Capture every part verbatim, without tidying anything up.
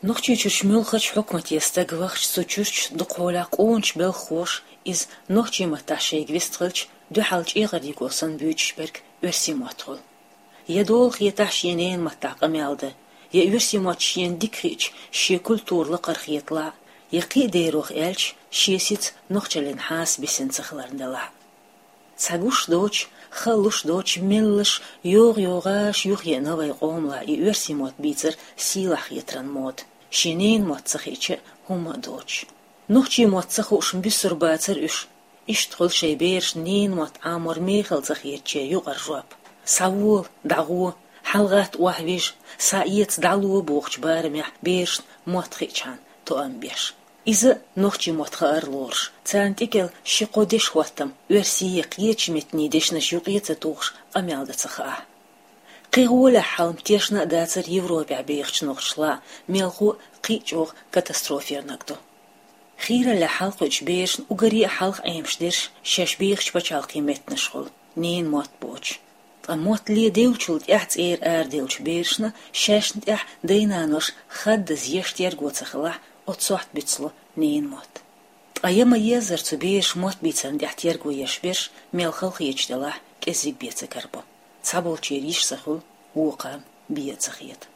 Нохчийчуьрчу муьлххачу хьукмате стаг вахча, цу чуьрчу дукхахьолахь къоначу белхахоша иза нохчийн маттахь шайга вистхилча, дуьхьал чӀегӀар йиго санна буьйцуш берг оьрсийн мотт хуьлу. Я дола хетахь шен ненан маттахь къамел дан, я оьрсийн мотт шена дика хиъча, шен культура лакхара хеталахь, я кхин а дерох аьлча, шен сица нохчаллин хьаса бисина ца хиларна делахь. Цхьа гуш доцуш, хала луш доцуш, меллаша йогӀу-йогӀуш юхаеана вай къомалахь и оьрсийн мотт бийцар сийлахь хетаран мода, шен ненан мотт ца хиъча а хӀумма а доцуш. Нохчийн мотт ца хууш-м буьсур бацара уьш. Иштта хуьлу шайн берашна ненан мотт Ӏамор мехала ца хетачеран юкъара жоп. «Схьавола, дӀагӀо, хьалагӀатта охьавижа, схьаэца, дӀало» бохучу барамехь берашна мотт хиъчхьана тоам беш. Иза нохчийн мотт хаар лоруш, царна тӀекӀел ши-кхо дешхӀоттам, оьрсийн, кхечу меттанийн дешнаш юкъе а ца тухуш, къамел дан ца хаахь. КхидӀа гӀолехь хьал-м тешна а дацара Европехь бехачу нохчашлахь, мелхо а кхин а чӀогӀа катастрофера наг ду. Хийраллехь хьалакхуьучу берашна уггаре а хьалха Ӏемаш дерш шаьш бехачу пачхьалкхийн меттанаш хуьлу, ненан мотт боцуш. Ткъа мотт ледевллачул тӀаьхьа цӀера араделлачу берашна шаьшна тӀехь дай-наноша хаддаза еш терго ца хилахь, оцу сохьта буьцлу ненан мотт. Ткъа я ма-еззара цу бераша мотт бийцарна тӀехь терго еш берш, мел хала хеташ делахь, кӀеззиг бен ца карабо. Цхьаболчеран йиш ца хуьлу, вукхарна бен а ца хета.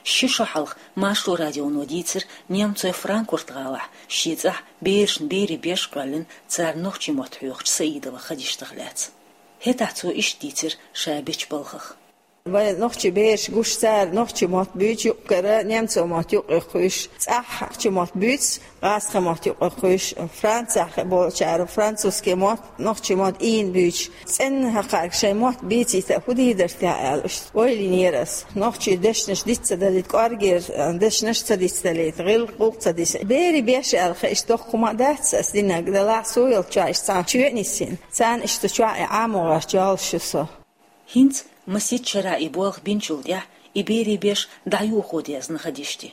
Ши шо хьалха Маршо радионо дийцира Немцойн Франкфурт-гӀалахь шен цӀахь берашна берийн беш а кхоьллина, царна нохчийн мотт хьоьхучу Саидова Хадиштах лаьцна. ХӀетахь цо иштта дийцира ша бечу балхах. Вайн нохчийн бераш гуш, цара нохчийн мотт буьйцу юкъ-кара, немцойн мотт юкъа кхуьйсуш, цӀахь нохчийн мотт буьйцу, гӀазкхийн мотт юкъа кхуьйсуш, Францехь болчара французский мотт, нохчийн мотт ийна буьйцуш. ЦӀенна хӀокхаьрга шайн мотт бийцийта хӀун дийр дара техьа аьлла, иштта ойла йинера ас. Нохчийн дешнаш диц ца далийта, кӀоргера дешнаш ца диц далийта, гӀиллакх-гӀуллакх ца диц. Берийн беш аьлла хиъча доккха хӀума дац ас динарг, делахь со йолчохь иштта цхьана чоь а нисйина. Царна иштта чохь и Ӏамо гӀерташ йолуш ю со. ХӀинца масех шарахь и болх бинчул тӀаьхьа и берийн беш дӀайохо дезна Хадиште.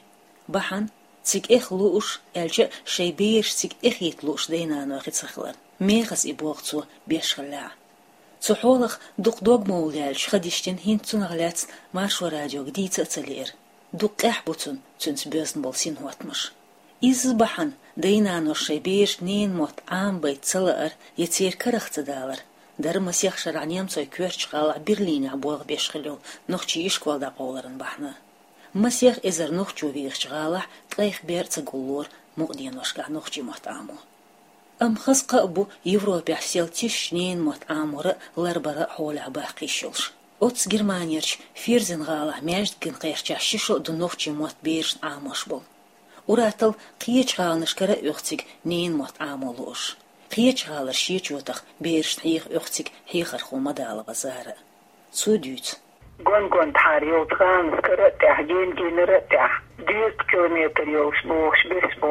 Бахьана, цига эха лууш, аьлча а шайн бераш цига эхийта лууш дай-наной хи ца хиларна, мехаза и болх цо беш хиллехь а. Цу хьолах дукха дог ма вуллаьллачу Хадиштина хӀинца цунах лаьцна Маршо радиога дийца а ца лиира. Дукха къаьхьа бу цунна цуьнца боьзна болу синхӀоттамаш. Изза бахьана дай-наноша шайн берашна ненан мотт Ӏамабайта ца лаар я церан карах ца далар дара масех шарахь немцойн коьртачу гӀалахь Берлинехь болх беш хилла йолу нохчийн ишкол дӀакъовларан бахьана. Масех эзар нохчо вехачу гӀалахь ткъех бер а ца гуллора мукъа деношкахь нохчийн мотт Ӏамо. Амма хаза кхаъ бу Европехь сел тишаш ненан мотт Ӏамор а, ларбар а хьолехь баккхийш йолуш. Оццу Германерчу Ферзен-гӀалахь маьждиган кхерчахь ши шо а ду нохчийн мотт берашна Ӏамош болу. Ур-атталла кхечу гӀаланашкара а оьху цига ненан мотт Ӏамо лууш. Кхечу гӀалара шен чотах берашна хьеха оьху цига хьехархо Мадалова Зара а. Цо дуьйцу. Гон-гон тхьара йолчу гӀаланашкара а тӀехь, ген-генара а тӀехь, дезткъа километр йолуш бохуш бес бу.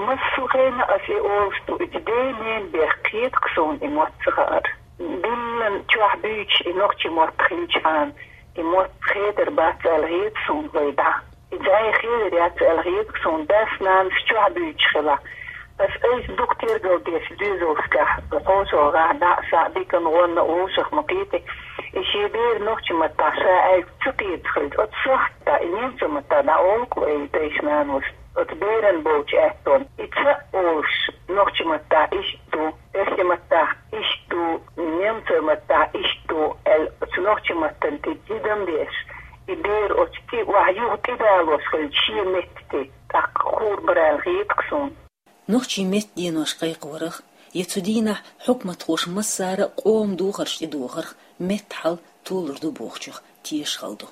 Массо а хенахь ас и олуш ду, и ден-ненан бехк хета-кх суна и мотт ца хаар. Диллина чохь буьйцуш и нохчийн мотт хилчхьана, и мотт хедар бац аьлла хета суна вай дӀа. И зӀе хедар яц аьлла хета-кх суна, дас-нанас чохь буьйцуш хилахь. Ас айса дукха тергал деш доьзалшкахь, кхочушгӀахь дӀа а, схьа а, диканна, гӀонна а вовшах ма кхетий, и шен бер нохчийн маттахь ша аьлча ца кхета хилча, оцу сохьта и немцойн маттахь дӀаолу-кх вай дайша-наноша оцу беран болчу аьттонна. И ца а олуш, нохчийн маттахь иштта ду, оьрсийн маттахь иштта ду, немцойн маттахь иштта ду аьлла, оцу нохчийн маттана тӀе тидам беш, и бер оцу тӀе охьа юха тӀедалош хилча шен метта тӀе, тӀаккха хуур бара аьлла хета-кх суна. Нохчийн меттан денош кхайкхорах, я цу дийнахь хьукматхоша массара а къоман духарш тӀедухарх меттан хьал толур ду бохучух тешаш хала ду.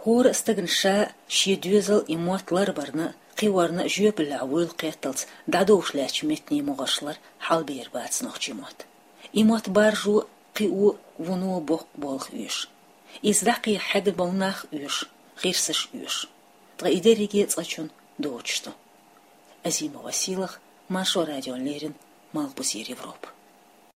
ХӀора а стагана ша а, шен доьзал а и мотт ларбарна а, кхиорна а жоьпаллехь вуйла кхетталц дӀадовш лаьттачу меттанийн могӀаршлар хьалабер бац нохчийн мотт. И мотт баржо а, кхио а, вуно а боккха болх оьшу. Иза дӀакхехьа хьегна болу нах оьшу, гӀирсаш оьшу. Ткъа и дерриге а цкъачунна доцуш ду. Азимова Сийлаха, Маршо радиона леррина, Малхбузера Европа.